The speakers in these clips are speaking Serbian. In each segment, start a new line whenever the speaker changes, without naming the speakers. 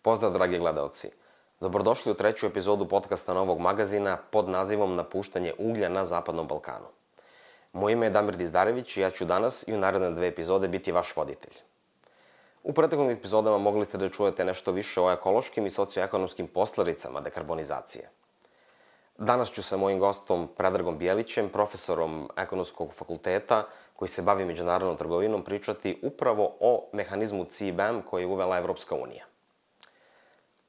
Pozdrav, dragi gledaoci. Dobrodošli u treću epizodu podcasta Novog magazina pod nazivom Napuštanje uglja na Zapadnom Balkanu. Moje ime je Damir Dizdarević i ja ću danas i u naredne 2 epizode biti vaš voditelj. U prethodnim epizodama mogli ste da čujete nešto više o ekološkim i socioekonomskim posledicama dekarbonizacije. Danas ću sa mojim gostom Predragom Bjelićem, profesorom Ekonomskog fakulteta koji se bavi međunarodnom trgovinom, pričati upravo o mehanizmu CBAM koji je uvela Evropska unija.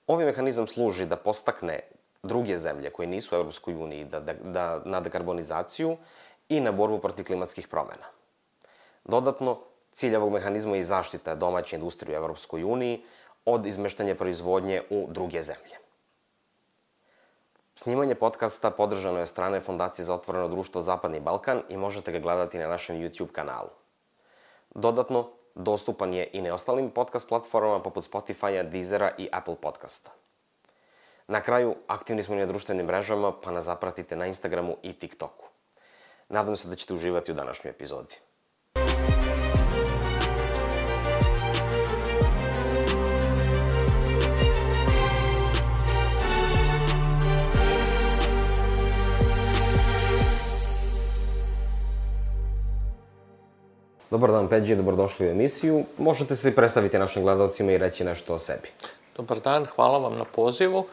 Ovaj mehanizam služi da podstakne druge zemlje koje nisu u Evropskoj uniji na dekarbonizaciju i na borbu protiv klimatskih promena. Dodatno, cilj ovog mehanizma je i zaštita domaće industrije u Evropskoj uniji od izmeštanja proizvodnje u druge zemlje. Snimanje podcasta podržano je od strane Fondacije za otvoreno društvo Zapadni Balkan i možete ga gledati na našem YouTube kanalu. Dodatno, dostupan je i na ostalim podcast platformama poput Spotify-a, Deezera i Apple podcasta. Na kraju, aktivni smo i na društvenim mrežama, pa nas zapratite na Instagramu i TikToku. Nadam se da ćete uživati u današnjoj epizodi. Dobar dan, Peđi, dobrodošli u emisiju. Možete se predstaviti našim gledalcima i reći nešto o sebi.
Dobar dan, hvala vam na pozivu.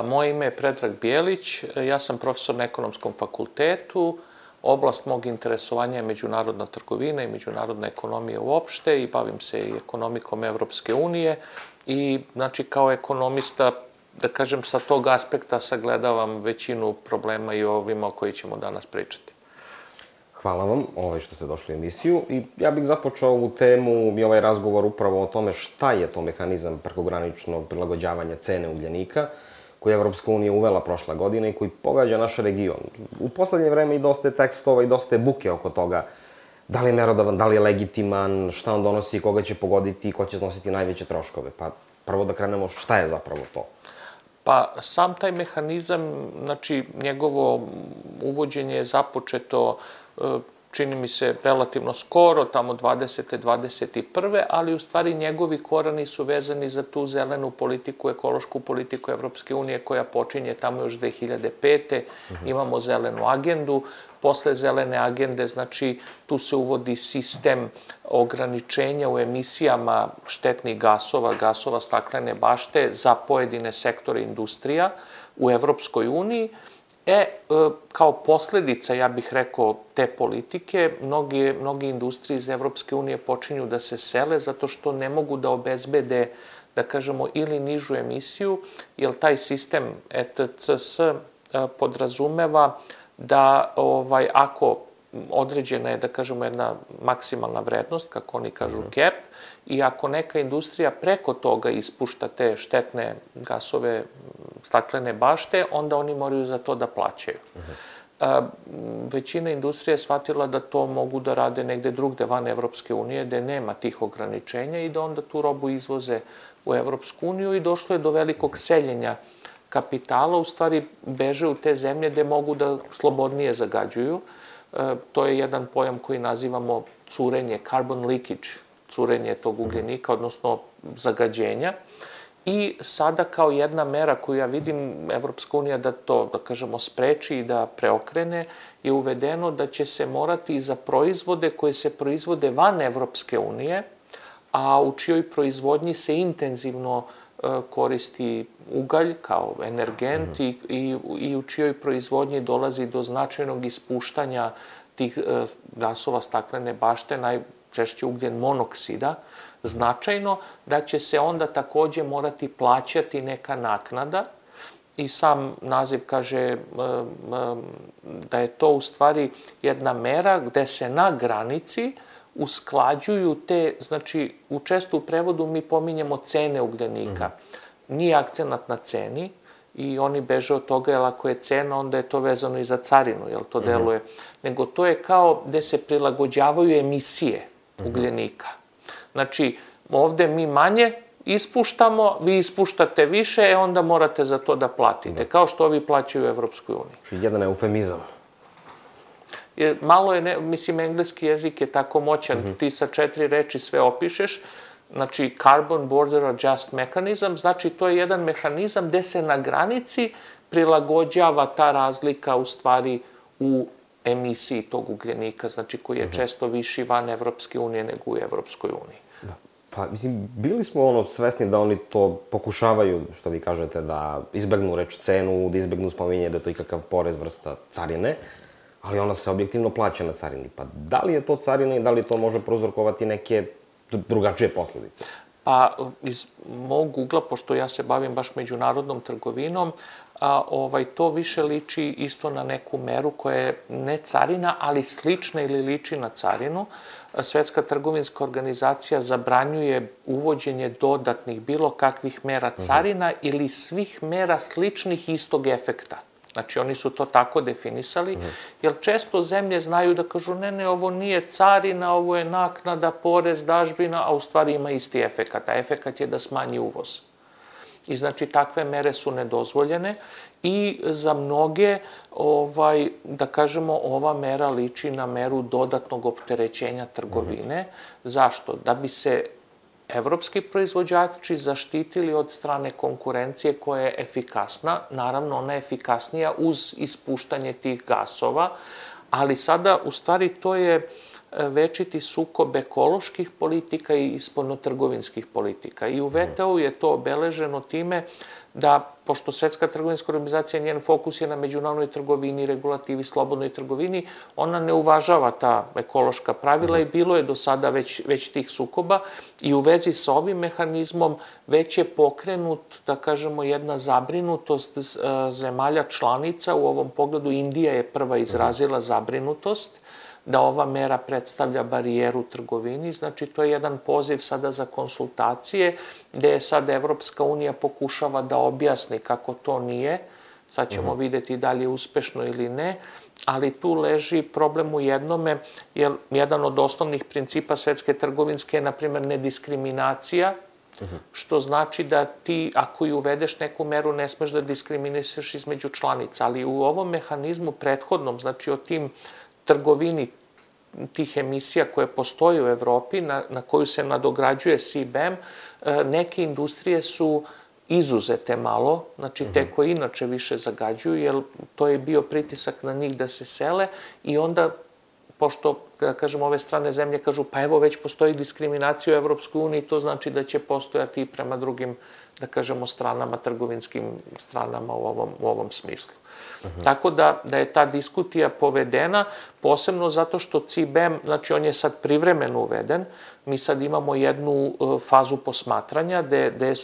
Moje ime je Predrag Bjelić, ja sam profesor na Ekonomskom fakultetu. Oblast mog interesovanja je međunarodna trgovina i međunarodna ekonomija uopšte i bavim se i ekonomikom Evropske unije i znači kao ekonomista, da kažem, sa tog aspekta sagledavam većinu problema i ovima o koji ćemo danas pričati.
Hvala vam što ste došli u emisiju i ja bih započeo ovu temu i ovaj razgovor upravo o tome šta je to mehanizam prekograničnog prilagođavanja cene ugljenika koji je Evropska unija uvela prošle godine i koji pogađa naš region. U poslednje vreme i dosta je tekstova i dosta je buke oko toga da li je merodavan, da li je legitiman, šta on donosi, koga će pogoditi i ko će snositi najveće troškove. Pa prvo da krenemo šta je zapravo to.
Pa sam taj mehanizam, znači njegovo uvođenje je započeto čini mi se relativno skoro, tamo 20. 21. ali u stvari njegovi korani su vezani za tu zelenu politiku, ekološku politiku Evropske unije koja počinje tamo još 2005. Imamo zelenu agendu. Posle zelene agende, znači, tu se uvodi sistem ograničenja u emisijama štetnih gasova, gasova staklene bašte za pojedine sektore industrija u Evropskoj uniji. Kao posledica, ja bih rekao, te politike, mnoge industrije iz Evropske unije počinju da se sele zato što ne mogu da obezbede, da kažemo, ili nižu emisiju, jer taj sistem ETCS podrazumeva da ako određena je, da kažemo, jedna maksimalna vrednost, kako oni kažu cap, i ako neka industrija preko toga ispušta te štetne gasove staklene bašte, onda oni moraju za to da plaćaju. Većina industrija je shvatila da to mogu da rade negde drugde van Evropske unije, gde nema tih ograničenja i da onda tu robu izvoze u Evropsku uniju i došlo je do velikog seljenja kapitala, u stvari beže u te zemlje gde mogu da slobodnije zagađuju. To je jedan pojam koji nazivamo curenje, carbon leakage, curenje tog ugljenika, odnosno zagađenja. I sada kao jedna mera koju ja vidim Evropska unija da to, da kažemo, spreči i da preokrene, je uvedeno da će se morati za proizvode koje se proizvode van Evropske unije, a u čijoj proizvodnji se intenzivno koristi ugalj kao energent i u čijoj proizvodnji dolazi do značajnog ispuštanja tih gasova staklene bašte, najčešće ugljen monoksida, značajno, da će se onda takođe morati plaćati neka naknada i sam naziv kaže da je to u stvari jedna mera gde se na granici usklađuju te, znači često u prevodu mi pominjemo cene ugljenika. Nije akcenat na ceni i oni beže od toga, jer ako je cena, onda je to vezano i za carinu, jer to deluje. Nego to je kao gde se prilagođavaju emisije ugljenika. Znači, ovde mi manje ispuštamo, vi ispuštate više, onda morate za to da platite, kao što ovi plaćaju u Evropskoj uniji.
Znači, jedan eufemizam.
Malo je, mislim, engleski jezik je tako moćan, ti sa 4 reči sve opišeš, znači Carbon Border Adjust Mechanism, znači to je jedan mehanizam gde se na granici prilagođava ta razlika u stvari u emisiji tog ugljenika, znači koji je često viši van Evropske unije nego u Evropskoj uniji.
Da. Pa, mislim, bili smo svesni da oni to pokušavaju, što vi kažete, da izbegnu reč cenu, da izbegnu spominje da je to ikakav porez vrsta carine, ali ona se objektivno plaća na carini. Pa da li je to carina i da li to može prouzrokovati neke drugačije posledice?
Pa iz mog ugla, pošto ja se bavim baš međunarodnom trgovinom, to više liči isto na neku meru koja je ne carina, ali slična ili liči na carinu. Svetska trgovinska organizacija zabranjuje uvođenje dodatnih bilo kakvih mera carina ili svih mera sličnih istog efekta. Znači, oni su to tako definisali, jer često zemlje znaju da kažu ne, ovo nije carina, ovo je naknada, porez, dažbina, a u stvari ima isti efekat. A efekat je da smanji uvoz. I znači, takve mere su nedozvoljene i za mnoge, da kažemo, ova mera liči na meru dodatnog opterećenja trgovine. Zašto? Da bi se evropski proizvođači zaštitili od strane konkurencije koja je efikasna. Naravno, ona je efikasnija uz ispuštanje tih gasova, ali sada, u stvari, to je večiti sukob ekoloških politika i spoljnotrgovinskih politika. I u VTO je to obeleženo time da, pošto Svetska trgovinska organizacija, njen fokus je na međunarodnoj trgovini, regulativi, slobodnoj trgovini, ona ne uvažava ta ekološka pravila i bilo je do sada već tih sukoba i u vezi sa ovim mehanizmom već je pokrenut, da kažemo, jedna zabrinutost zemalja članica. U ovom pogledu Indija je prva izrazila zabrinutost da ova mera predstavlja barijeru u trgovini. Znači, to je jedan poziv sada za konsultacije, gde je sada Evropska unija pokušava da objasni kako to nije. Sad ćemo videti da li je uspešno ili ne, ali tu leži problem u jednome, jer jedan od osnovnih principa Svetske trgovinske je, na primjer, nediskriminacija, što znači da ti, ako i uvedeš neku meru, ne smeš da diskriminišeš između članica. Ali u ovom mehanizmu prethodnom, znači o tim trgovini tih emisija koje postoje u Evropi, na koju se nadograđuje CBAM, neke industrije su izuzete malo, znači te koje inače više zagađuju, jer to je bio pritisak na njih da se sele i onda, pošto, da kažem, ove strane zemlje kažu, pa evo već postoji diskriminacija u Evropskoj uniji, to znači da će postojati i prema drugim, da kažemo, stranama, trgovinskim stranama u ovom smislu. Tako da je ta diskutija povedena, posebno zato što CBAM, znači on je sad privremeno uveden, mi sad imamo jednu fazu posmatranja gde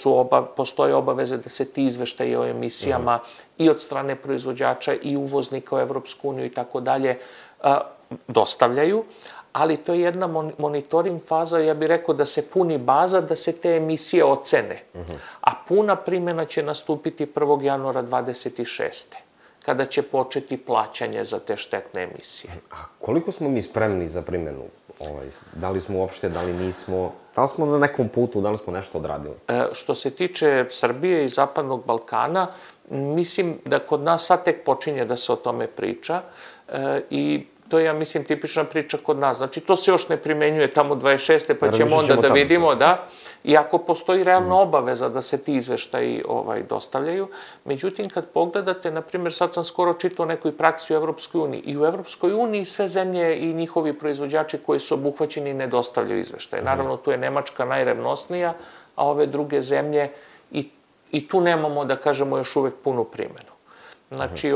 postoje obaveze da se ti izveštaji o emisijama i od strane proizvođača i uvoznika u Evropsku uniju i tako dalje dostavljaju, ali to je jedna monitoring faza, ja bih rekao da se puni baza, da se te emisije ocene. A puna primjena će nastupiti 1. januara 2026. kada će početi plaćanje za te štetne emisije.
A koliko smo mi spremni za primjenu? Da li smo uopšte, da li nismo? Da li smo na nekom putu, da li smo nešto odradili?
Što se tiče Srbije i Zapadnog Balkana, mislim da kod nas sad tek počinje da se o tome priča i to je, ja mislim, tipična priča kod nas. Znači, to se još ne primenjuje tamo 26. pa ćemo onda da vidimo, da. Iako postoji realna obaveza da se ti izveštaji dostavljaju. Međutim, kad pogledate, na primjer, sad sam skoro čitao o nekoj praksi u Evropskoj uniji. I u Evropskoj uniji sve zemlje i njihovi proizvođači koji su obuhvaćeni ne dostavljaju izveštaje. Naravno, tu je Nemačka najrevnosnija, a ove druge zemlje i tu nemamo, da kažemo, još uvek punu primjenu. Znači,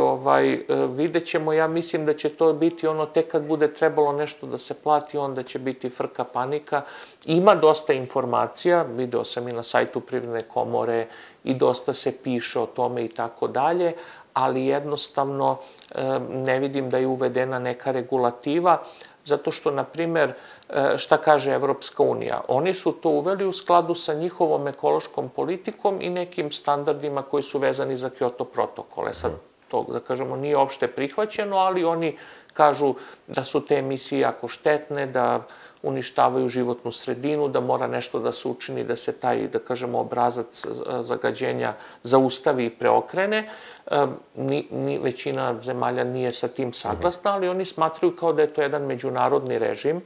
vidjet ćemo, ja mislim da će to biti ono, tek kad bude trebalo nešto da se plati, onda će biti frka, panika. Ima dosta informacija, video sam i na sajtu Privredne komore i dosta se piše o tome i tako dalje, ali jednostavno ne vidim da je uvedena neka regulativa, zato što, na primer, šta kaže Evropska unija? Oni su to uveli u skladu sa njihovom ekološkom politikom i nekim standardima koji su vezani za Kyoto protokole. Sad, to, da kažemo, nije opšte prihvaćeno, ali oni kažu da su te emisije jako štetne, da uništavaju životnu sredinu, da mora nešto da se učini, da se taj, da kažemo, obrazac zagađenja zaustavi i preokrene. Većina zemalja nije sa tim saglasna, ali oni smatraju kao da je to jedan međunarodni režim,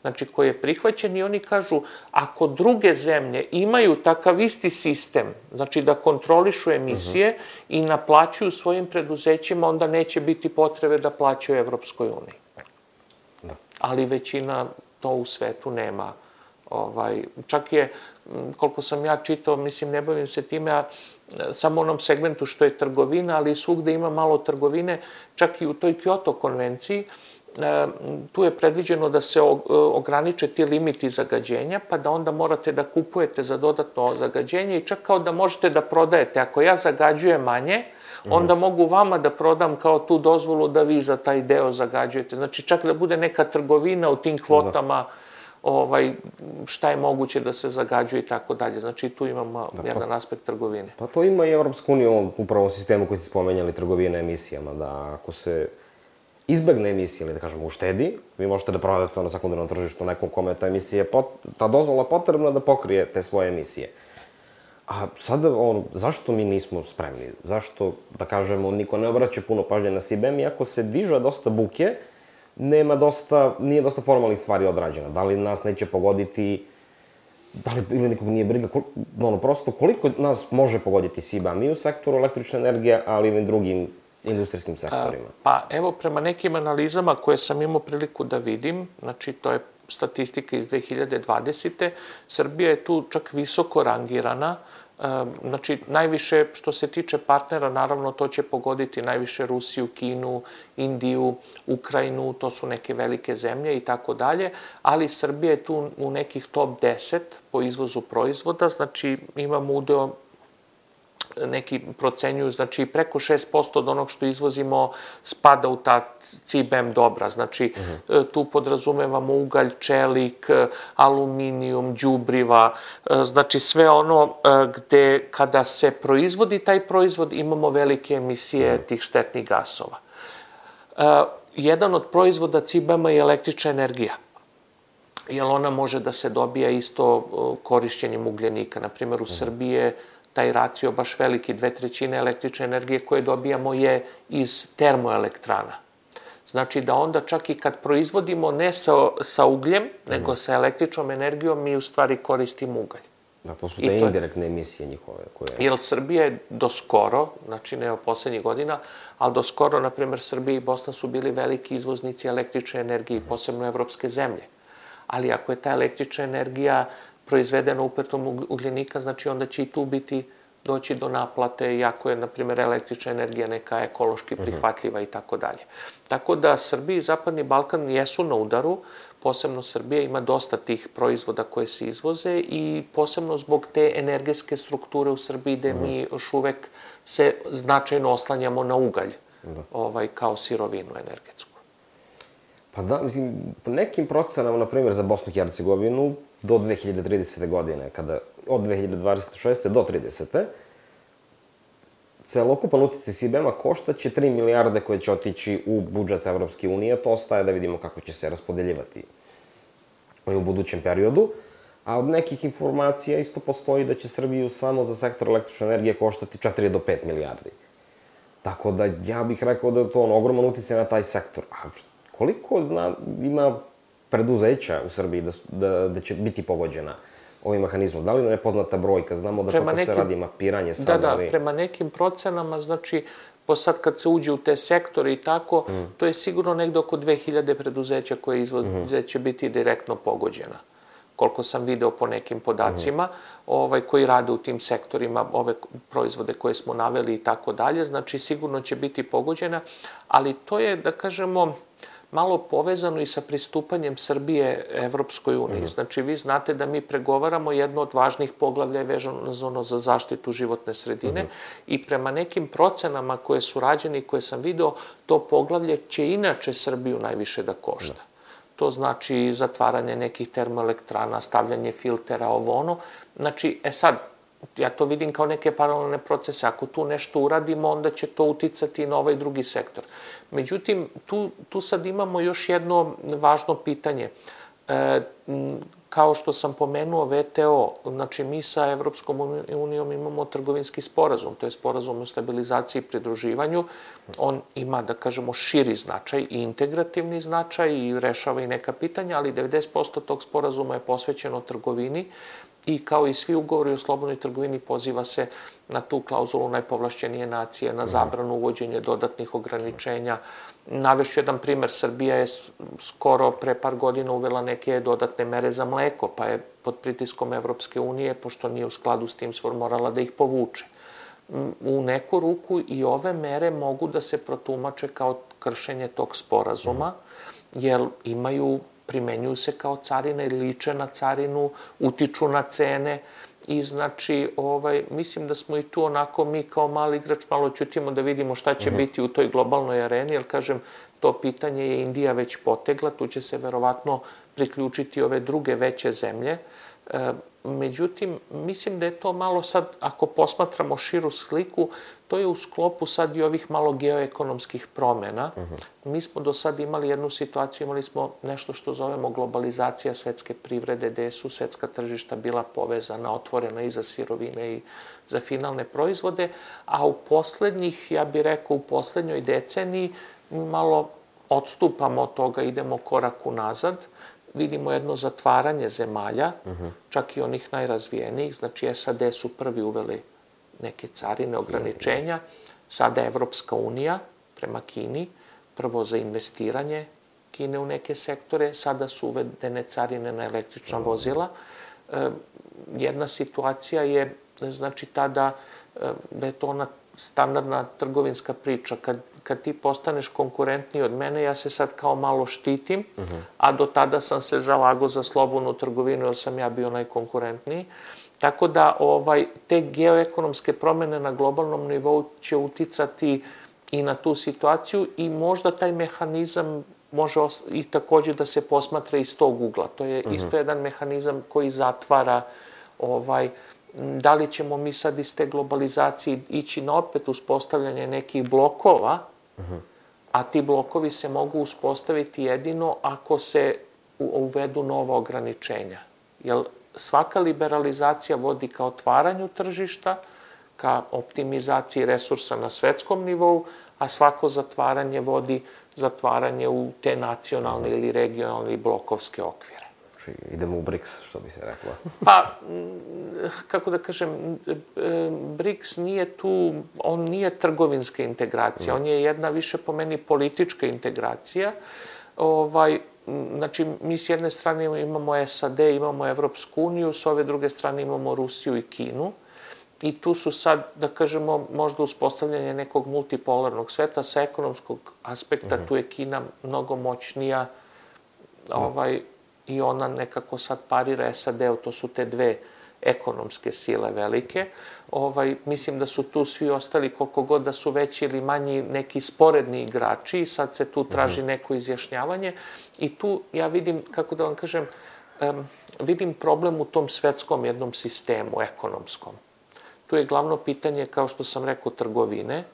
znači koji je prihvaćen i oni kažu ako druge zemlje imaju takav isti sistem, znači da kontrolišu emisije i naplaćuju svojim preduzećima, onda neće biti potrebe da plaćaju Evropskoj uniji. Ali većina to u svetu nema. Čak je, koliko sam ja čitao, mislim, ne bavim se time, a samo onom segmentu što je trgovina, ali svugde ima malo trgovine, čak i u toj Kyoto konvenciji, tu je predviđeno da se ograniče ti limiti zagađenja, pa da onda morate da kupujete za dodatno zagađenje i čak kao da možete da prodajete. Ako ja zagađujem manje, onda mogu vama da prodam kao tu dozvolu da vi za taj deo zagađujete. Znači, čak da bude neka trgovina u tim kvotama, šta je moguće da se zagađuje i tako dalje. Znači, tu imamo jedan aspekt trgovine.
Pa to ima i Evropska unija u upravo sistemu koji ste spomenjali, trgovine emisijama, da ako se izbegne emisije ili da kažemo uštedi, vi možete da prodate na sekundarnom tržištu nekom kome ta emisija, ta dozvola potrebna da pokrije te svoje emisije. A sada, zašto mi nismo spremni? Zašto, da kažemo, niko ne obraća puno pažnje na CBAM, iako se diže dosta buke, nije dosta formalnih stvari odrađeno. Da li nas neće pogoditi, da li ili nikog nije briga, prosto koliko nas može pogoditi CBAM i u sektoru električne energije, ali i u drugim industrijskim sektorima?
Pa evo, prema nekim analizama koje sam imao priliku da vidim, znači to je statistika iz 2020. Srbija je tu čak visoko rangirana. Znači, najviše što se tiče partnera, naravno to će pogoditi najviše Rusiju, Kinu, Indiju, Ukrajinu, to su neke velike zemlje i tako dalje, ali Srbija je tu u nekih top 10 po izvozu proizvoda, znači imamo udeo, neki procenjuju, znači preko 6% od onog što izvozimo spada u ta CBAM dobra. Znači, tu podrazumevamo ugalj, čelik, aluminijum, đubriva, znači sve ono gde kada se proizvodi taj proizvod imamo velike emisije tih štetnih gasova. Jedan od proizvoda CBAM-a je električna energija, jer ona može da se dobija isto korišćenjem ugljenika. Naprimjer, u Srbiji je taj racio baš veliki, 2/3 električne energije koje dobijamo je iz termoelektrana. Znači da onda čak i kad proizvodimo ne sa ugljem, nego sa električnom energijom, mi u stvari koristimo ugalj.
Da, to su te indirektne emisije njihove koje...
Jer Srbija je do skoro, znači ne od poslednjih godina, ali do skoro, na primjer, Srbija i Bosna su bili veliki izvoznici električne energije, posebno evropske zemlje. Ali ako je ta električna energija proizvedena upetom ugljenika, znači onda će i tu doći do naplate, iako je, na primjer, električna energija neka ekološki prihvatljiva i tako dalje. Tako da Srbija i Zapadni Balkan jesu na udaru, posebno Srbija ima dosta tih proizvoda koje se izvoze i posebno zbog te energetske strukture u Srbiji gde mi još uvek se značajno oslanjamo na ugalj kao sirovinu energetsku.
Pa da, mislim, po nekim procenama, na primjer, za Bosnu i Hercegovinu, do 2030. godine, od 2026. do 30. celokupan uticaj CBAM-a koštaće 3 milijarde koje će otići u budžet Evropske unije. To ostaje da vidimo kako će se raspodeljivati u budućem periodu. A od nekih informacija isto postoji da će Srbiju samo za sektor električne energije koštati 4 do 5 milijardi. Tako da ja bih rekao da je to ogroman uticaj na taj sektor. A koliko ima preduzeća u Srbiji da će biti pogođena ovim mehanizmom? Da li je nepoznata brojka? Znamo da kako se radi mapiranje sad.
Da, prema nekim procenama, znači, sad kad se uđe u te sektore i tako, to je sigurno negde oko 2000 preduzeća koje će biti direktno pogođena. Koliko sam video po nekim podacima, koji rade u tim sektorima, ove proizvode koje smo naveli i tako dalje, znači sigurno će biti pogođena, ali to je, da kažemo, malo povezano i sa pristupanjem Srbije Evropskoj uniji. Znači, vi znate da mi pregovaramo jedno od važnih poglavlja je vezano za zaštitu životne sredine i prema nekim procenama koje su rađene i koje sam video, to poglavlje će inače Srbiju najviše da košta. To znači zatvaranje nekih termoelektrana, stavljanje filtera, ovo ono. Znači, sad, ja to vidim kao neke paralelne procese. Ako tu nešto uradimo, onda će to uticati i na ovaj drugi sektor. Međutim, tu sad imamo još jedno važno pitanje. kao što sam pomenuo VTO, znači mi sa Evropskom unijom imamo trgovinski sporazum, to je sporazum o stabilizaciji i pridruživanju. On ima, da kažemo, širi značaj i integrativni značaj i rešava i neka pitanja, ali 90% tog sporazuma je posvećeno trgovini i kao i svi ugovori o slobodnoj trgovini poziva se na tu klauzulu najpovlašćenije nacije, na zabranu uvođenja dodatnih ograničenja. Navešću jedan primer, Srbija je skoro pre par godina uvela neke dodatne mere za mleko, pa je pod pritiskom Evropske unije, pošto nije u skladu s tim, morala da ih povuče. U neku ruku i ove mere mogu da se protumače kao kršenje tog sporazuma, jer primenjuju se kao carine, liče na carinu, utiču na cene i znači, mislim da smo i tu onako mi kao mali igrač malo ćutimo da vidimo šta će biti u toj globalnoj areni, jer kažem, to pitanje je Indija već potegla, tu će se verovatno priključiti ove druge veće zemlje. Međutim, mislim da je to malo sad, ako posmatramo širu sliku, to je u sklopu sad i ovih malo geoekonomskih promena. Mi smo do sad imali jednu situaciju, imali smo nešto što zovemo globalizacija svetske privrede, gde su svetska tržišta bila povezana, otvorena i za sirovine i za finalne proizvode, a u poslednjih, ja bih rekao, u poslednjoj deceniji malo odstupamo od toga, idemo korak unazad. Vidimo jedno zatvaranje zemalja, čak i onih najrazvijenijih, znači SAD su prvi uveli neke carine, ograničenja, sada Evropska unija prema Kini, prvo za investiranje Kine u neke sektore, sada su uvedene carine na električna vozila. Jedna situacija je, znači, tada da je to ona standardna trgovinska priča. Kad ti postaneš konkurentniji od mene, ja se sad kao malo štitim, a do tada sam se zalagao za slobodnu trgovinu, jer sam ja bio najkonkurentniji. Tako da te geoekonomske promene na globalnom nivou će uticati i na tu situaciju i možda taj mehanizam može i takođe da se posmatra iz tog ugla. To je isto jedan mehanizam koji zatvara da li ćemo mi sad iz te globalizacije ići na opet uspostavljanje nekih blokova, a ti blokovi se mogu uspostaviti jedino ako se uvedu nova ograničenja. Jer svaka liberalizacija vodi ka otvaranju tržišta, ka optimizaciji resursa na svetskom nivou, a svako zatvaranje vodi zatvaranje u te nacionalne ili regionalne i blokovske okvire.
Znači, idemo u BRICS, što bi se rekla.
Pa, kako da kažem, BRICS nije tu, on nije trgovinska integracija, on je jedna više po meni politička integracija. Znači, mi s jedne strane imamo SAD, imamo Evropsku uniju, s ove druge strane imamo Rusiju i Kinu. I tu su sad, da kažemo, možda uspostavljanje nekog multipolarnog sveta. Sa ekonomskog aspekta tu je Kina mnogo moćnija i ona nekako sad parira SAD-u, to su te dve ekonomske sile velike. Mislim da su tu svi ostali, koliko god da su veći ili manji, neki sporedni igrači i sad se tu traži neko izjašnjavanje. I tu ja vidim, kako da vam kažem, vidim problem u tom svetskom jednom sistemu, ekonomskom. Tu je glavno pitanje, kao što sam rekao, trgovine.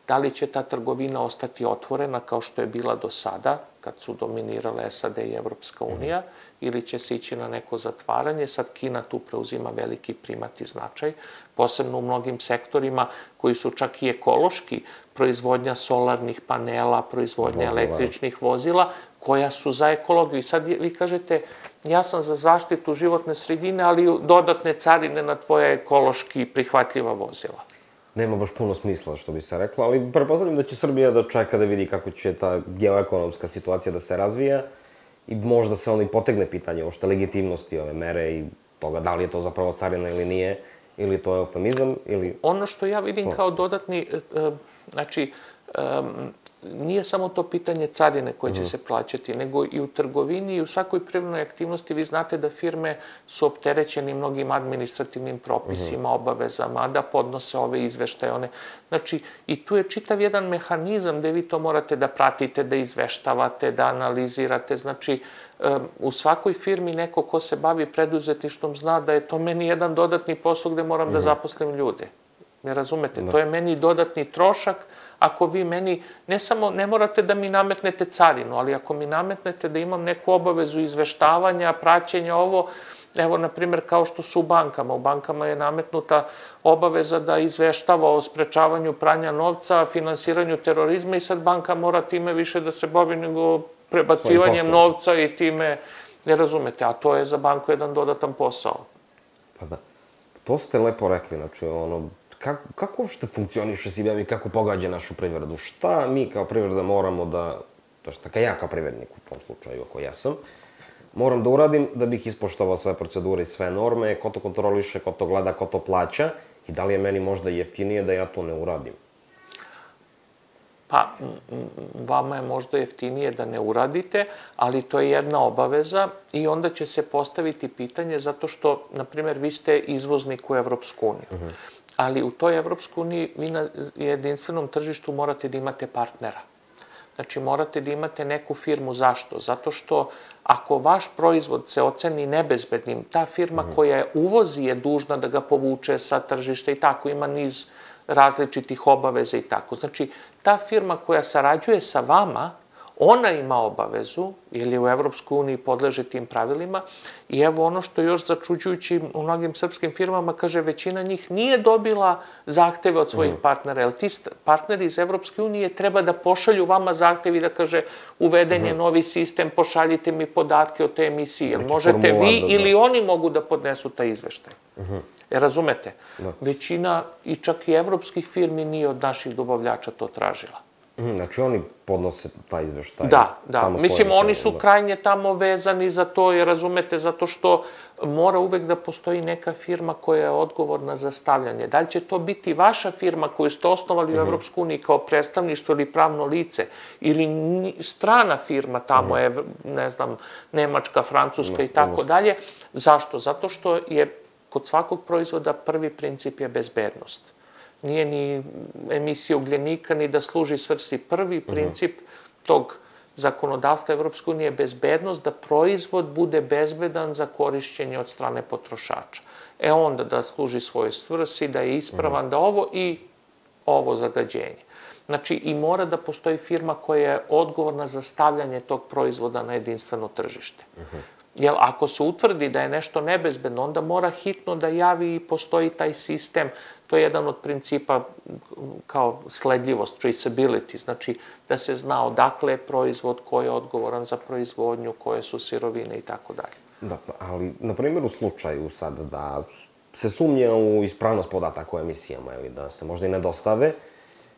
Da li će ta trgovina ostati otvorena kao što je bila do sada, kad su dominirale SAD i Evropska unija, ili će se ići na neko zatvaranje. Sad Kina tu preuzima veliki primat i značaj, posebno u mnogim sektorima koji su čak i ekološki, proizvodnja solarnih panela, proizvodnja električnih vozila, koja su za ekologiju. I sad vi kažete, ja sam za zaštitu životne sredine, ali dodatne carine na tvoja ekološki prihvatljiva vozila.
Nema baš puno smisla, što bi se reklo, ali pretpostavljam da će Srbija da čeka da vidi kako će ta geoekonomska situacija da se razvija i možda se onda i potegne pitanje ošte legitimnosti ove mere i toga da li je to zapravo carina ili nije, ili to je eufemizam, ili...
Ono što ja vidim kao dodatni, znači, nije samo to pitanje carine koje će se plaćati, nego i u trgovini i u svakoj privrednoj aktivnosti. Vi znate da firme su opterećeni mnogim administrativnim propisima, obavezama, da podnose ove izveštaje, one. Znači, i tu je čitav jedan mehanizam gde vi to morate da pratite, da izveštavate, da analizirate. Znači, u svakoj firmi neko ko se bavi preduzetništvom zna da je to meni jedan dodatni posao gde moram da zaposlim ljude. Ne razumete? To je meni dodatni trošak. Ako vi meni, ne morate da mi nametnete carinu, ali ako mi nametnete da imam neku obavezu izveštavanja, praćenja, ovo, evo, na primjer, kao što su u bankama. U bankama je nametnuta obaveza da izveštava o sprečavanju pranja novca, finansiranju terorizma i sad banka mora time više da se bavi nego prebacivanjem novca i time, ne razumete, a to je za banku jedan dodatan posao.
Pa da. To ste lepo rekli, znači, kako uopšte funkcioniše CBM i kako pogađa našu privredu? Šta mi kao privreda moramo da, to što ja kao privrednik u tom slučaju, ako ja sam, moram da uradim da bih ispoštovao sve procedure i sve norme, ko to kontroliše, ko to gleda, ko to plaća i da li je meni možda jeftinije da ja to ne uradim?
Pa, vama je možda jeftinije da ne uradite, ali to je jedna obaveza i onda će se postaviti pitanje zato što, na primjer, vi ste izvoznik u Evropsku uniju. Ali u toj Evropskoj uniji vi na jedinstvenom tržištu morate da imate partnera. Znači, morate da imate neku firmu. Zašto? Zato što ako vaš proizvod se oceni nebezbednim, ta firma koja je uvozi je dužna da ga povuče sa tržišta i tako, ima niz različitih obaveza i tako. Znači, ta firma koja sarađuje sa vama, ona ima obavezu, jer je u Evropskoj uniji podleže tim pravilima, i evo ono što je još začuđujući u mnogim srpskim firmama, kaže, većina njih nije dobila zahteve od svojih partnera, jer ti partneri iz Evropske unije treba da pošalju vama zahtev i da kaže, uveden je novi sistem, pošaljite mi podatke o te emisiji, jer možete vi ili oni mogu da podnesu taj izveštaj. Razumete? Većina i čak i evropskih firmi nije od naših dobavljača to tražila.
Znači oni podnose taj izveštaj?
Da. Mislim, oni su krajnje tamo vezani za to, jer razumete, zato što mora uvek da postoji neka firma koja je odgovorna za stavljanje. Da li će to biti vaša firma koju ste osnovali u Evropsku uniji kao predstavništvo ili pravno lice, ili strana firma tamo je, ne znam, Nemačka, Francuska i tako dalje. Zašto? Zato što je kod svakog proizvoda prvi princip je bezbednost. Nije ni emisija ugljenika, ni da služi svrsi. Prvi princip tog zakonodavstva Evropske unije je bezbednost, da proizvod bude bezbedan za korišćenje od strane potrošača. Onda da služi svojoj svrsi, da je ispravan, da ovo zagađenje. Znači, i mora da postoji firma koja je odgovorna za stavljanje tog proizvoda na jedinstveno tržište. Jer ako se utvrdi da je nešto nebezbedno, onda mora hitno da javi i postoji taj sistem. To je jedan od principa kao sledljivost, traceability, znači da se zna odakle je proizvod, ko je odgovoran za proizvodnju, koje su sirovine i tako dalje.
Da, ali, na primjer, u slučaju sad da se sumnje u ispravnost podataka o emisijama ili da se možda i ne dostave,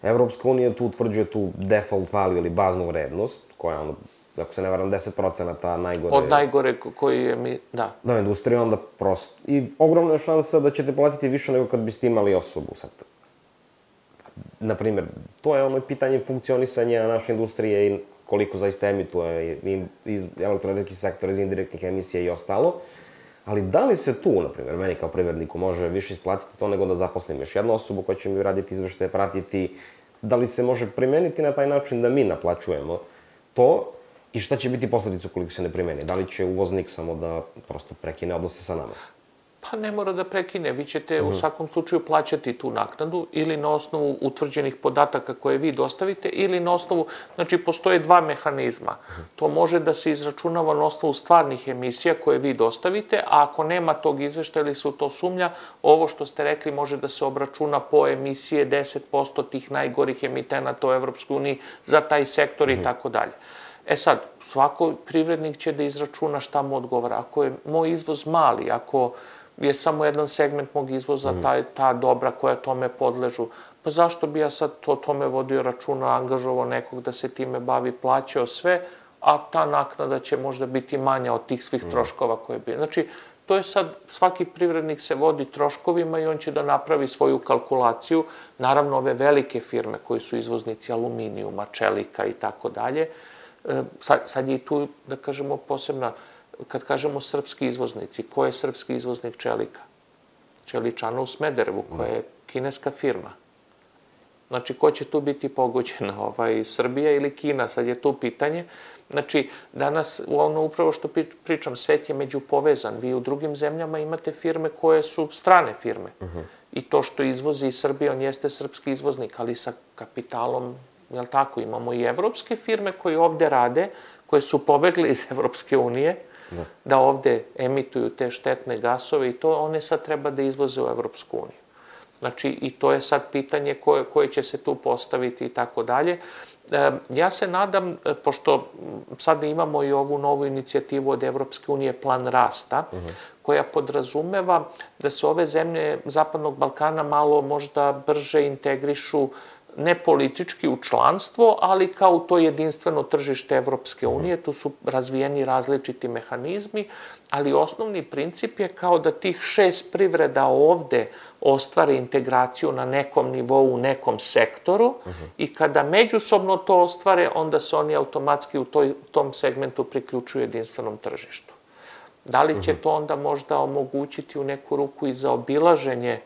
Evropska unija tu utvrđuje tu default value ili baznu vrednost, koja je ako se ne varam, 10% najgore...
Od najgore koji je da.
Da, industrija, onda prosto. I ogromna je šansa da ćete platiti više nego kad biste imali osobu sad. Naprimjer, to je ono pitanje funkcionisanja naše industrije i koliko zaista emituje iz elektroenergetski sektor, iz indirektnih emisija i ostalo. Ali da li se tu, naprimjer, meni kao privredniku može više isplatiti to nego da zaposlim još jednu osobu koja će mi raditi izveštaje, pratiti? Da li se može primeniti na taj način da mi naplaćujemo to? I šta će biti posledica ukoliko se ne primeni? Da li će uvoznik samo da prosto prekine odnose sa nama?
Pa ne mora da prekine. Vi ćete u svakom slučaju plaćati tu naknadu ili na osnovu utvrđenih podataka koje vi dostavite ili na osnovu, znači postoje dva mehanizma. To može da se izračunava na osnovu stvarnih emisija koje vi dostavite, a ako nema tog izveštaja ili se u to sumnja, ovo što ste rekli može da se obračuna po emisije 10% tih najgorih emitenata u Evropskoj uniji za taj sektor i tako dalje. Sad, svako privrednik će da izračuna šta mu odgovara. Ako je moj izvoz mali, ako je samo jedan segment mog izvoza, ta dobra koja tome podležu, pa zašto bi ja sad o tome vodio računa, angažovao nekog da se time bavi, plaćao sve, a ta naknada će možda biti manja od tih svih troškova koje bi... Znači, to je sad, svaki privrednik se vodi troškovima i on će da napravi svoju kalkulaciju. Naravno, ove velike firme koji su izvoznici aluminijuma, čelika i tako dalje, sad je i tu, da kažemo, posebna, kad kažemo srpski izvoznici, ko je srpski izvoznik čelika? Čeličana u Smederevu, koja je kineska firma. Znači, ko će tu biti pogođen? Srbija ili Kina? Sad je tu pitanje. Znači, danas, ono upravo što pričam, svet je međupovezan. Vi u drugim zemljama imate firme koje su strane firme. I to što izvozi iz Srbije, on jeste srpski izvoznik, ali sa kapitalom, jel tako, imamo i evropske firme koje ovde rade, koje su pobegle iz Evropske unije, da ovde emituju te štetne gasove i to one sad treba da izvoze u Evropsku uniju. Znači, i to je sad pitanje koje će se tu postaviti i tako dalje. Ja se nadam, pošto sad imamo i ovu novu inicijativu od Evropske unije, Plan rasta, koja podrazumeva da se ove zemlje Zapadnog Balkana malo možda brže integrišu ne politički u članstvo, ali kao u to jedinstveno tržište Evropske unije. Tu su razvijeni različiti mehanizmi, ali osnovni princip je kao da tih 6 privreda ovde ostvare integraciju na nekom nivou, u nekom sektoru i kada međusobno to ostvare, onda se oni automatski u tom segmentu priključuju jedinstvenom tržištu. Da li će to onda možda omogućiti u neku ruku i za obilaženje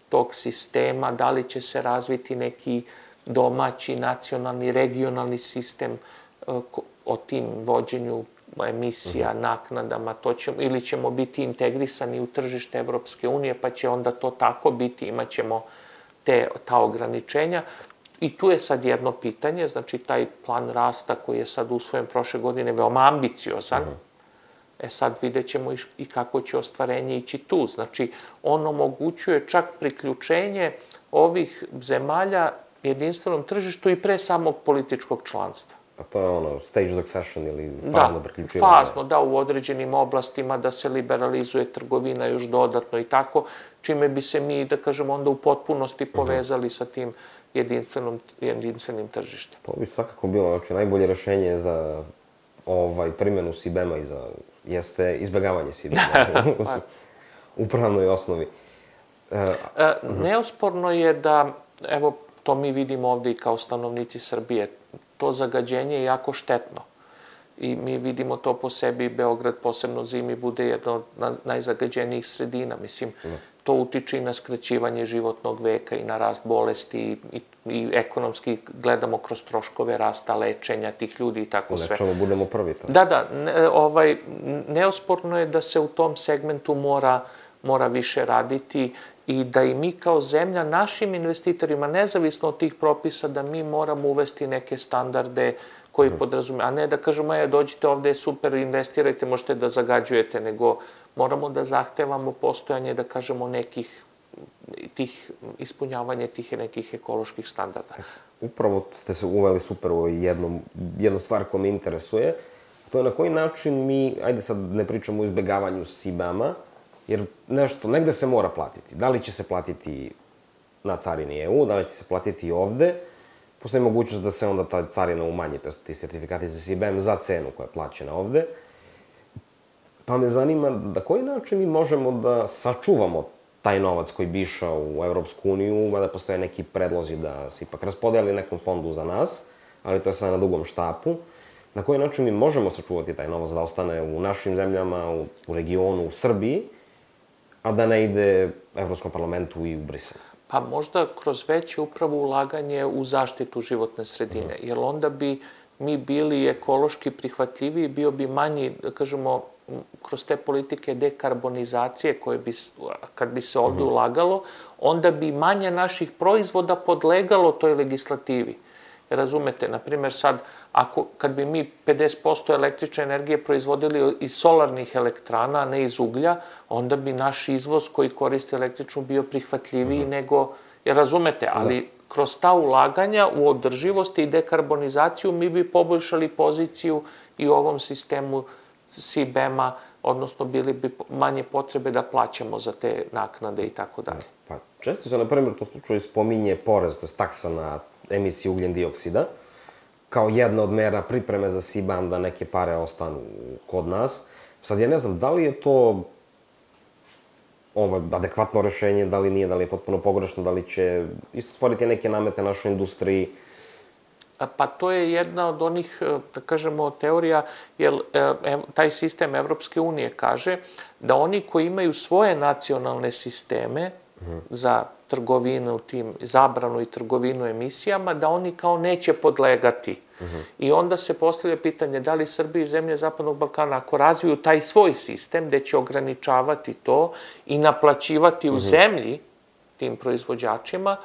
tog sistema, da li će se razviti neki domaći, nacionalni, regionalni sistem o tim vođenju emisija, naknadama, ili ćemo biti integrisani u tržište Evropske unije, pa će onda to tako biti, imat ćemo ta ograničenja. I tu je sad jedno pitanje, znači taj plan rasta koji je sad usvojen prošle godine veoma ambiciozan, sad vidjet ćemo i kako će ostvarenje ići tu. Znači, on omogućuje čak priključenje ovih zemalja jedinstvenom tržištu i pre samog političkog članstva.
A to je ono, stage succession ili fazno priključivanje?
Da, fazno, da, u određenim oblastima da se liberalizuje trgovina još dodatno i tako, čime bi se mi, da kažemo, onda u potpunosti povezali sa tim jedinstvenim tržištem.
To bi svakako bilo, znači, najbolje rešenje za primjenu CBAM-a jeste izbjegavanje CBAM-a u pravnoj osnovi.
Neosporno je da, evo, to mi vidimo ovde i kao stanovnici Srbije, to zagađenje je jako štetno. I mi vidimo to po sebi, Beograd posebno zimi bude jedna od najzagađenijih sredina. Mislim, to utiče i na skraćivanje životnog veka i na rast bolesti i ekonomski gledamo kroz troškove rasta, lečenja tih ljudi i tako sve.
U nečemu budemo prvi.
Da, neosporno je da se u tom segmentu mora više raditi i da i mi kao zemlja našim investitorima, nezavisno od tih propisa, da mi moramo uvesti neke standarde koji podrazume, a ne da kažemo, dođite ovde, super, investirajte, možete da zagađujete, nego moramo da zahtevamo postojanje, da kažemo, ispunjavanje tih nekih ekoloških standarda.
Upravo ste se uveli super u jednu stvar koja me interesuje, to je na koji način mi, ajde sad ne pričamo o izbegavanju CBAM-a, jer nešto, negde se mora platiti. Da li će se platiti na carini EU, da li će se platiti ovde, postoji mogućnost da se onda ta carina umanji, to je ti sertifikati za CBAM za cenu koja je plaćena ovde. Pa me zanima na koji način mi možemo da sačuvamo taj novac koji bi išao u Evropsku uniju, mada postoje neki predlozi da se ipak raspodeli nekom fondu za nas, ali to je sve na dugom štapu. Na koji način mi možemo sačuvati taj novac da ostane u našim zemljama, u regionu, u Srbiji, a da ne ide Evropskom parlamentu i u Brisel?
Pa možda kroz veće upravo ulaganje u zaštitu životne sredine, jer onda bi mi bili ekološki prihvatljiviji, bio bi manji, da kažemo, kroz te politike dekarbonizacije koje bi, kad bi se ovde ulagalo, onda bi manje naših proizvoda podlegalo toj legislativi. Razumete, na primjer sad, kad bi mi 50% električne energije proizvodili iz solarnih elektrana, a ne iz uglja, onda bi naš izvoz koji koristi električnu bio prihvatljiviji nego, jer razumete, ali kroz ta ulaganja u održivost i dekarbonizaciju mi bi poboljšali poziciju i u ovom sistemu CBAM-a, odnosno bili bi manje potrebe da plaćamo za te naknade i tako dalje.
Pa često se, na primjer, u tom slučaju spominje porez, to je taksa na emisiju ugljen dioksida, kao jedna od mera pripreme za CBAM da neke pare ostanu kod nas. Sad ja ne znam, da li je to adekvatno rešenje, da li nije, da li je potpuno pogrešno, da li će isto stvoriti neke namete našoj industriji?
Pa to je jedna od onih, da kažemo, teorija, jer taj sistem Evropske unije kaže da oni koji imaju svoje nacionalne sisteme za trgovinu, zabranu i trgovinu emisijama, da oni kao neće podlegati. I onda se postavlja pitanje da li Srbija i zemlje Zapadnog Balkana, ako razviju taj svoj sistem gde će ograničavati to i naplaćivati u zemlji tim proizvođačima,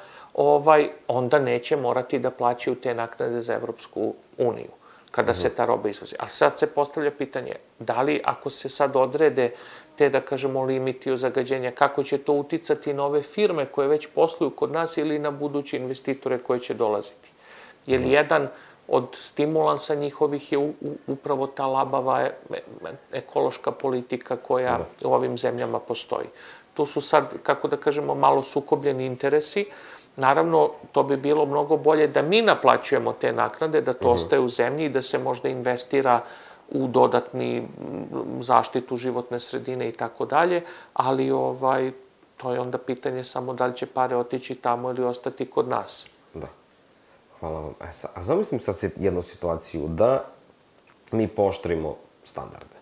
onda neće morati da plaćaju te naknade za Evropsku uniju. kada se ta roba izvozi. A sad se postavlja pitanje, da li ako se sad odrede te, da kažemo, limiti o zagađenja, kako će to uticati na ove firme koje već posluju kod nas ili na buduće investitore koje će dolaziti? Jer jedan od stimulansa njihovih je upravo ta labava ekološka politika koja u ovim zemljama postoji. Tu su sad, kako da kažemo, malo sukobljeni interesi. Naravno, to bi bilo mnogo bolje da mi naplaćujemo te naknade, da to ostaje u zemlji i da se možda investira u dodatni zaštitu životne sredine i tako dalje, ali to je onda pitanje samo da li će pare otići tamo ili ostati kod nas.
Da. Hvala vam. A zamislim sad jednu situaciju da mi pooštrimo standarde.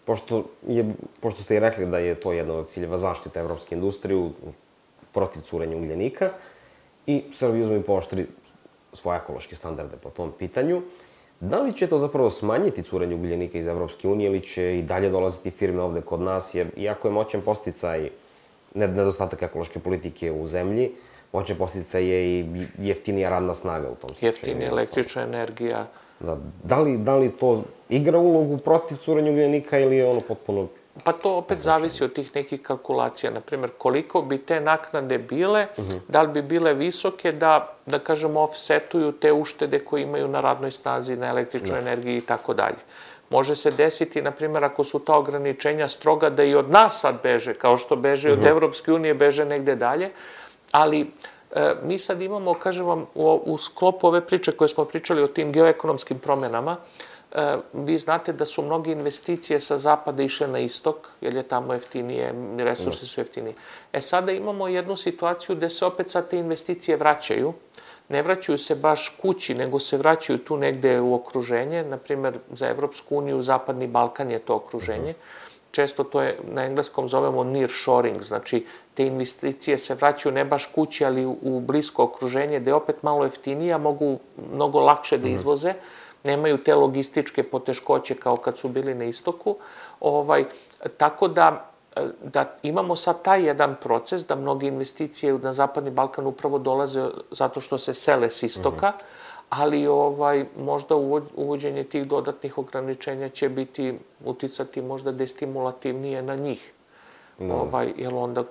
Pošto ste i rekli da je to jedna od ciljeva zaštite evropske industrije protiv curenja ugljenika i Srbija uzme i pooštri svoje ekološke standarde po tom pitanju, da li će to zapravo smanjiti curenje ugljenika iz Evropske unije ili će i dalje dolaziti firme ovde kod nas, jer iako je moćan podsticaj nedostatak ekološke politike u zemlji, moćan podsticaj je i jeftinija radna snaga u tom slučaju.
Jeftinija električna energija.
Da li to igra ulogu protiv curenja ugljenika ili je ono potpuno...
Pa to opet zavisi od tih nekih kalkulacija. Naprimer, koliko bi te naknade bile, da li bi bile visoke da kažemo, offsetuju te uštede koje imaju na radnoj snazi, na električnoj energiji i tako dalje. Može se desiti, naprimer, ako su ta ograničenja stroga, da i od nas sad beže, kao što beže od Evropske unije, beže negde dalje, ali mi sad imamo, kažem vam, u sklopu ove priče koje smo pričali o tim geoekonomskim promenama, vi znate da su mnoge investicije sa zapada išle na istok, jer je tamo jeftinije, resursi su jeftiniji. Sada imamo jednu situaciju gde se opet sad te investicije vraćaju. Ne vraćaju se baš kući, nego se vraćaju tu negde u okruženje. Naprimer, za Evropsku uniju, Zapadni Balkan je to okruženje. Često to je, na engleskom zovemo nearshoring, znači te investicije se vraćaju ne baš kući, ali u blisko okruženje, gde je opet malo jeftinije, mogu mnogo lakše da izvoze, nemaju te logističke poteškoće kao kad su bili na istoku. Tako da imamo sad taj jedan proces da mnoge investicije na Zapadni Balkan upravo dolaze zato što se sele s istoka, ali možda uvođenje tih dodatnih ograničenja će uticati možda destimulativnije na njih. Jer onda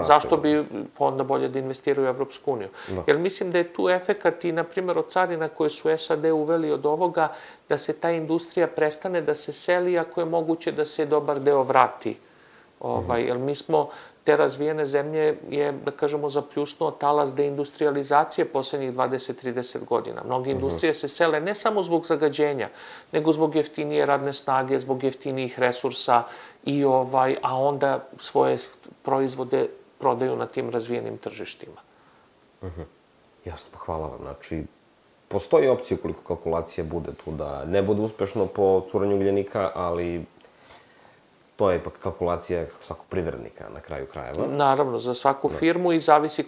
zašto bi onda bolje da investiraju u Evropsku uniju? Jer mislim da je tu efekat i, na primjer, od carina koje su SAD uveli od ovoga, da se ta industrija prestane da se seli, ako je moguće da se dobar deo vrati. Jer mi smo, te razvijene zemlje je, da kažemo, zapljusnuo talas deindustrializacije poslednjih 20-30 godina. Mnoge industrije se sele ne samo zbog zagađenja, nego zbog jeftinije radne snage, zbog jeftinijih resursa, a onda svoje proizvode prodaju na tim razvijenim tržištima.
Jasno, pa hvala vam. Znači, postoji opcija koliko kalkulacija bude tu da ne bude uspešno po curenju ugljenika, ali to je ipak kalkulacija svakog privrednika na kraju krajeva.
Naravno, za svaku firmu i zavisi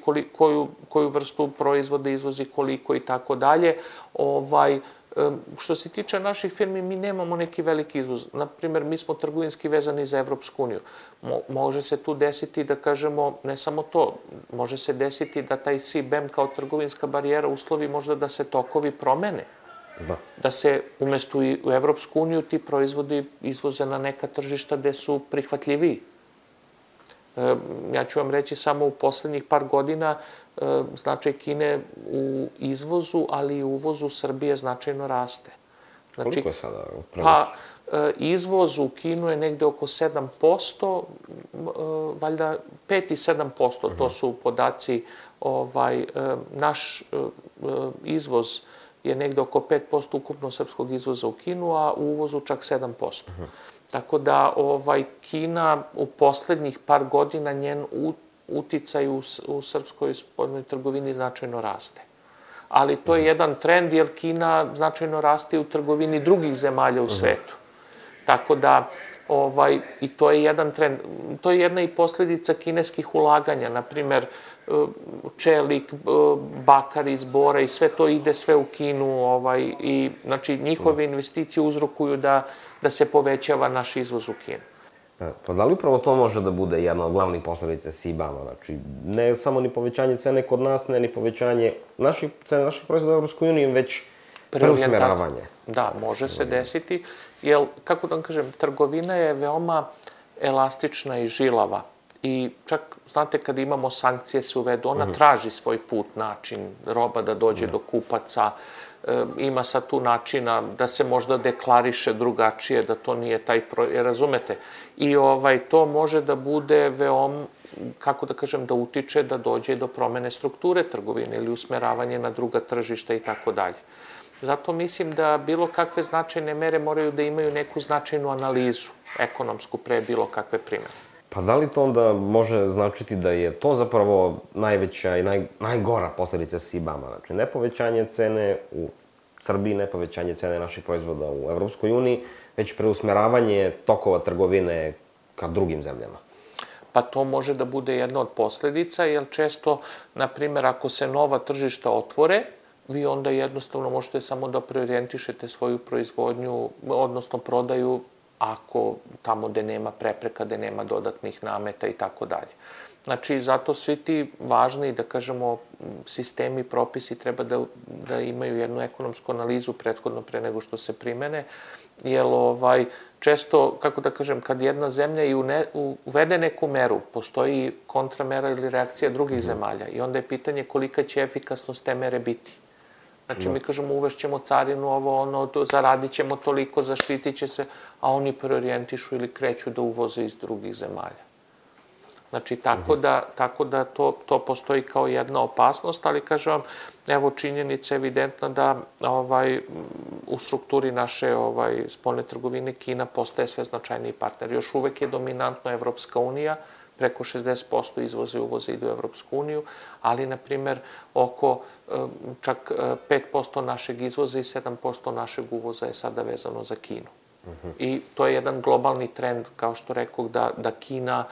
koju vrstu proizvoda izvozi, koliko i tako dalje. Što se tiče naših firmi, mi nemamo neki veliki izvoz. Naprimer, mi smo trgovinski vezani za Evropsku uniju. Može se tu desiti, da kažemo, ne samo to, može se desiti da taj CBAM kao trgovinska barijera uslovi možda da se tokovi promene. Da se umesto u Evropsku uniju ti proizvodi izvoze na neka tržišta gde su prihvatljiviji. Ja ću vam reći samo u poslednjih par godina značaj Kine u izvozu, ali i u uvozu Srbije značajno raste.
Koliko je sada?
Pa, izvoz u Kinu je negde oko 7%, valjda 5 i 7%, to su podaci. Naš izvoz je negde oko 5% ukupno srpskog izvoza u Kinu, a u uvozu čak 7%. Tako da Kina u poslednjih par godina njen uticaj u srpskoj spoljnoj trgovini značajno raste. Ali to je jedan trend, jer Kina značajno raste u trgovini drugih zemalja u svetu. Tako da, i to je jedan trend, to je jedna i posledica kineskih ulaganja, naprimer čelik, bakar iz bora i sve to ide sve u Kinu i znači njihove investicije uzrokuju da se povećava naš izvoz u Kinu.
Pa da li upravo to može da bude jedna od glavnih posledica CBAM-a? Znači, ne samo ni povećanje cene kod nas, ne ni povećanje cene naših proizvoda u Evropskoj uniji, već preusmeravanje.
Da, može se desiti, jer, kako da vam kažem, trgovina je veoma elastična i žilava. I čak, znate, kad imamo sankcije se uvedu, ona traži svoj put, način, roba da dođe do kupaca, ima sad tu načina da se možda deklariše drugačije, da to nije taj razumete? I to može da bude veoma, kako da kažem, da utiče da dođe do promene strukture trgovine ili usmeravanje na druga tržišta i tako dalje. Zato mislim da bilo kakve značajne mere moraju da imaju neku značajnu analizu ekonomsku pre bilo kakve primene.
Pa da li to onda može značiti da je to zapravo najveća i najgora posledica CBAM-a? Znači, ne povećanje cene u Srbiji, ne povećanje cene naših proizvoda u Evropskoj uniji, već preusmeravanje tokova trgovine ka drugim zemljama?
Pa to može da bude jedna od posledica, jer često, na primjer, ako se nova tržišta otvore, vi onda jednostavno možete samo da preorijentišete svoju proizvodnju, odnosno prodaju, ako tamo gde nema prepreka, gde nema dodatnih nameta i tako dalje. Znači, zato svi ti važni, da kažemo, sistemi, propisi treba da imaju jednu ekonomsku analizu prethodno pre nego što se primene, jer često, kako da kažem, kad jedna zemlja i uvede neku meru, postoji kontramera ili reakcija drugih zemalja i onda je pitanje kolika će efikasnost te mere biti. Znači, mi kažemo uvešćemo carinu, zaradit ćemo toliko, zaštitit će se, a oni preorijentišu ili kreću da uvoze iz drugih zemalja. Znači, tako da to postoji kao jedna opasnost, ali kažem vam, evo činjenica evidentna da u strukturi naše spoljne trgovine Kina postaje sve značajniji partner. Još uvek je dominantno Evropska unija, preko 60% izvoza i uvoza ide u Evropsku uniju, ali, na primer, oko čak 5% našeg izvoza i 7% našeg uvoza je sada vezano za Kinu. I to je jedan globalni trend, kao što rekao, da Kina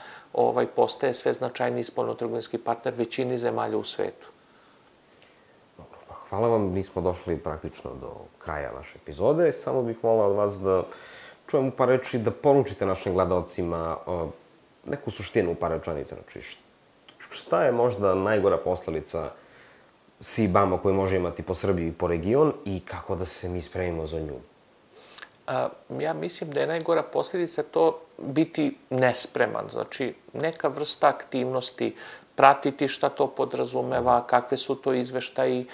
postaje sve značajniji spoljno-trgovinski partner većini zemalja u svetu.
Dobro, pa hvala vam. Mi smo došli praktično do kraja naše epizode. Samo bih volao od vas da čujemo par reči, da poručite našim gledalcima neku suštinu u par rečenica. Znači, šta je možda najgora posledica CBAM-a koju može imati po Srbiji i po region i kako da se mi spremimo za nju?
Ja mislim da je najgora posljedica to biti nespreman. Znači, neka vrsta aktivnosti, pratiti šta to podrazumeva, kakve su to izveštaji,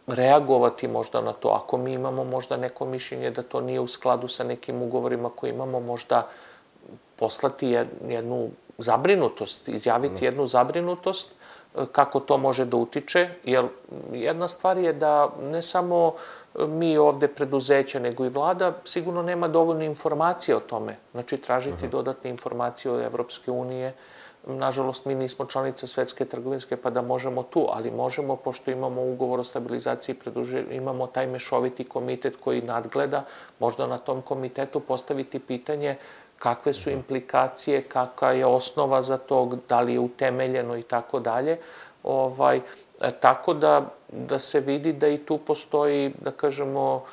reagovati možda na to. Ako mi imamo možda neko mišljenje da to nije u skladu sa nekim ugovorima koje imamo, možda poslati jednu zabrinutost, izjaviti jednu zabrinutost, kako to može da utiče, jer jedna stvar je da ne samo mi ovde preduzeća, nego i vlada sigurno nema dovoljno informacije o tome. Znači, tražiti dodatne informacije od Evropske unije. Nažalost, mi nismo članica Svetske trgovinske, pa da možemo tu, ali možemo, pošto imamo ugovor o stabilizaciji, imamo taj mešoviti komitet koji nadgleda, možda na tom komitetu postaviti pitanje kakve su implikacije, kakva je osnova za to, da li je utemeljeno i tako dalje. Tako da se vidi da i tu postoji, da kažemo,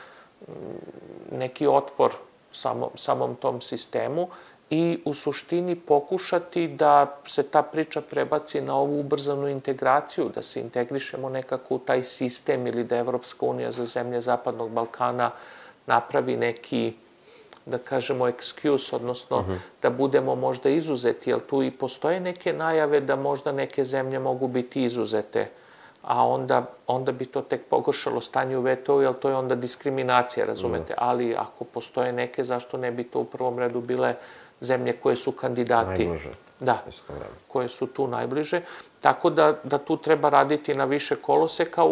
neki otpor samom tom sistemu i u suštini pokušati da se ta priča prebaci na ovu ubrzanu integraciju, da se integrišemo nekako u taj sistem ili da Evropska unija za zemlje Zapadnog Balkana napravi neki, da kažemo, excuse, odnosno da budemo možda izuzeti, jer tu i postoje neke najave da možda neke zemlje mogu biti izuzete, a onda bi to tek pogoršalo stanje u VTO, jer to je onda diskriminacija, razumete? Ali ako postoje neke, zašto ne bi to u prvom redu bile zemlje koje su kandidati?
Najbliže.
Da, koje su tu najbliže. Tako da tu treba raditi na više koloseka,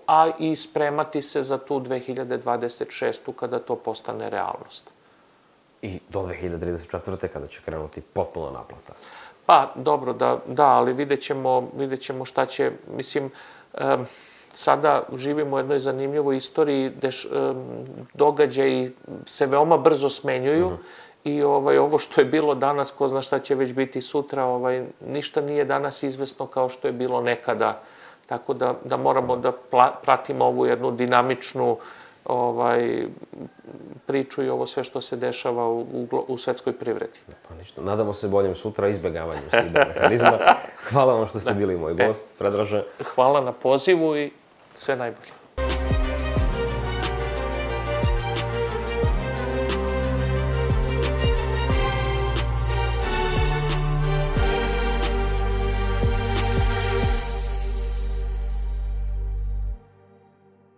a i spremati se za tu 2026. kada to postane realnost.
I do 2034. kada će krenuti potpuna naplata.
Pa, dobro, da, ali vidjet ćemo šta će, mislim, sada živimo u jednoj zanimljivoj istoriji gde događaji se veoma brzo smenjuju i ovo što je bilo danas, ko zna šta će već biti sutra, ništa nije danas izvesno kao što je bilo nekada. Tako da moramo da pratimo ovu jednu dinamičnu priču i ovo sve što se dešava u svetskoj privredi.
Pa ništa. Nadamo se boljem sutra izbegavanju CBAM mehanizma. Hvala vam što ste bili moj gost, Predraže.
Hvala na pozivu i sve najbolje.